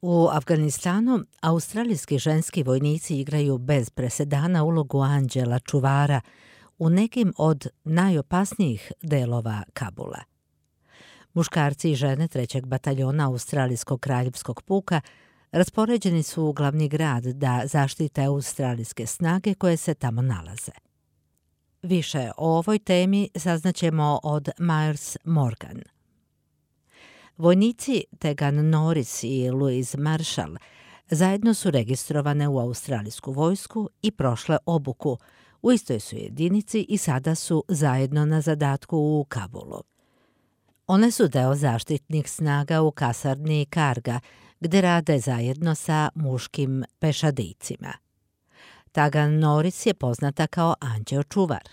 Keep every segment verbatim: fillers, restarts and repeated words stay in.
U Afganistanu australijski ženski vojnici igraju bez presedana ulogu anđela čuvara u nekim od najopasnijih delova Kabula. Muškarci i žene trećeg bataljona Australijskog kraljevskog puka raspoređeni su u glavni grad da zaštite australijske snage koje se tamo nalaze. Više o ovoj temi saznaćemo od Myers Morgan. Vojnici Tegan Norris i Louise Marshall zajedno su registrovane u australijsku vojsku i prošle obuku. U istoj su jedinici i sada su zajedno na zadatku u Kabulu. One su deo zaštitnih snaga u kasarni Karga, gde rade zajedno sa muškim pešadijcima. Tegan Norris je poznata kao anđeo čuvar.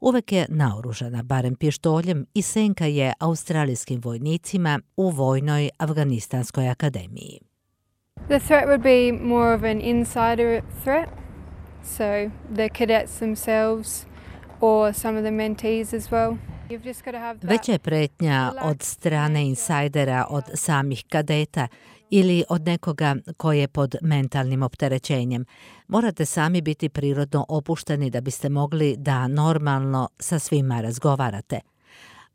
Uvek je naoružana barem pištoljem i senka je australijskim vojnicima u vojnoj Afganistanskoj akademiji. The threat would be more of an insider threat, so the cadets themselves or some of the mentees as well. Veća je pretnja od strane insajdera od samih kadeta ili od nekoga ko je pod mentalnim opterećenjem. Morate sami biti prirodno opušteni da biste mogli da normalno sa svima razgovarate,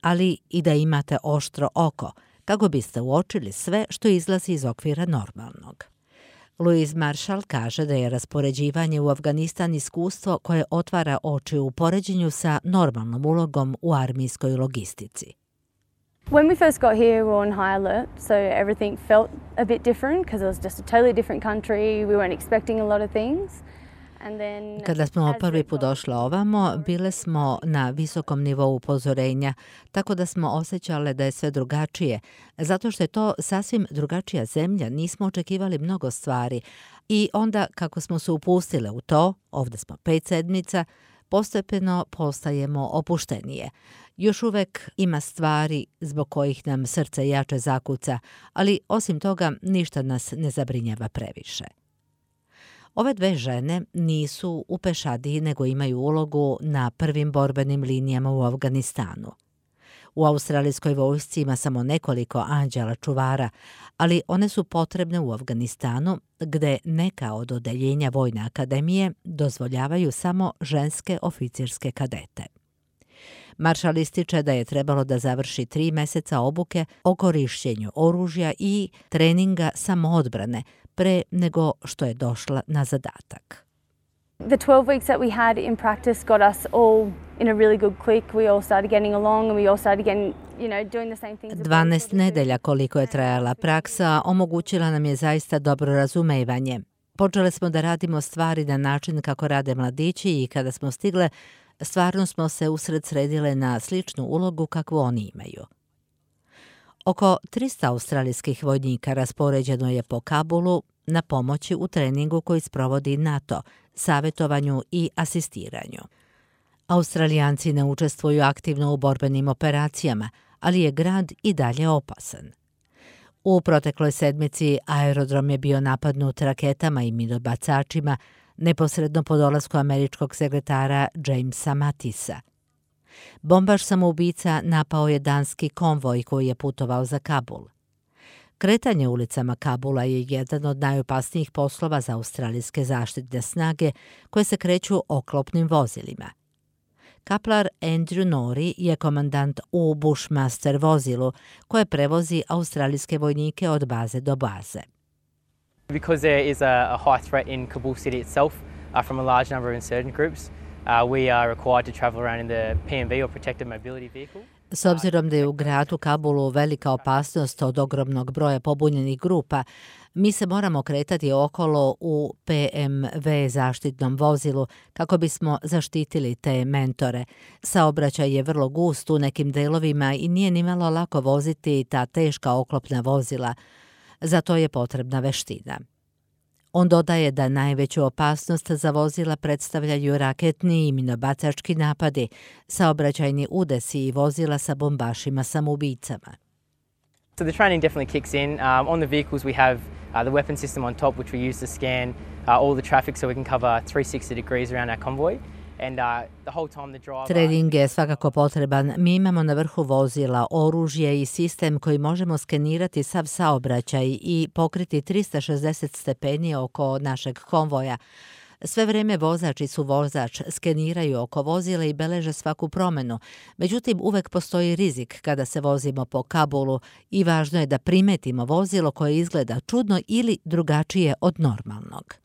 ali i da imate oštro oko, kako biste uočili sve što izlazi iz okvira normalnog. Louise Marshall kaže da je raspoređivanje u Afganistan iskustvo koje otvara oči u poređenju sa normalnom ulogom u armijskoj logistici. When we first got here, we were on high alert, so everything felt a bit different because it was just a totally different country. We weren't expecting a lot of things. Kada smo prvi put došli ovamo, bile smo na visokom nivou upozorenja, tako da smo osjećale da je sve drugačije. Zato što je to sasvim drugačija zemlja, nismo očekivali mnogo stvari. I onda, kako smo se upustile u to, ovdje smo pet sedmica, postepeno postajemo opuštenije. Još uvek ima stvari zbog kojih nam srce jače zakuca, ali osim toga ništa nas ne zabrinjava previše. Ove dve žene nisu u pešadiji nego imaju ulogu na prvim borbenim linijama u Afganistanu. U australijskoj vojsci ima samo nekoliko anđela čuvara, ali one su potrebne u Afganistanu gde neka od odeljenja Vojne akademije dozvoljavaju samo ženske oficirske kadete. Marshall ističe da je trebalo da završi tri meseca obuke o korišćenju oružja i treninga samoodbrane pre nego što je došla na zadatak. The twelve weeks that we had in practice got us all in a really good click. We all started getting along and we all started getting, you know, doing the same things. dvanaest nedelja koliko je trajala praksa omogućila nam je zaista dobro razumevanje. Počeli smo da radimo stvari na način kako rade mladići i kada smo stigle, stvarno smo se usred sredile na sličnu ulogu kakvu oni imaju. Oko trista australijskih vojnika raspoređeno je po Kabulu na pomoći u treningu koji sprovodi NATO, savjetovanju i asistiranju. Australijanci ne učestvuju aktivno u borbenim operacijama, ali je grad i dalje opasan. U protekloj sedmici aerodrom je bio napadnut raketama i minobacačima neposredno po dolasku američkog sekretara Jamesa Mattisa. Bombaš samoubica napao je danski konvoj koji je putovao za Kabul. Kretanje ulicama Kabula je jedan od najopasnijih poslova za australijske zaštitne snage koje se kreću oklopnim vozilima. Kaplar Andrew Norrie je komandant u Bushmaster vozilu koje prevozi australijske vojnike od baze do baze. Because there is a, a high threat in Kabul city itself uh, from a large number of insurgent groups, uh, we are required to travel around in the P M V or protected mobility vehicle. S obzirom da je u gradu Kabulu velika opasnost od ogromnog broja pobunjenih grupa, mi se moramo kretati okolo u P M V zaštitnom vozilu kako bismo zaštitili te mentore. Saobraćaj je vrlo gust u nekim delovima i nije nimalo lako voziti ta teška oklopna vozila. Zato je potrebna veština. On dodaje da najveću opasnost za vozila predstavljaju raketni i minobacački napadi, saobraćajni udesi i vozila sa bombašima samoubicama. So the training definitely kicks in. Um, on the vehicles we have uh, the weapon system on top which we use to scan uh, all the traffic so we can cover three hundred sixty degrees around our convoy. And uh, the whole time the driver... Trening je svakako potreban. Mi imamo na vrhu vozila oružje i sistem koji možemo skenirati sav saobraćaj i pokriti trista šezdeset stepeni oko našeg konvoja. Sve vreme vozač i suvozač skeniraju oko vozila i beleže svaku promenu. Međutim, uvek postoji rizik kada se vozimo po Kabulu i važno je da primetimo vozilo koje izgleda čudno ili drugačije od normalnog.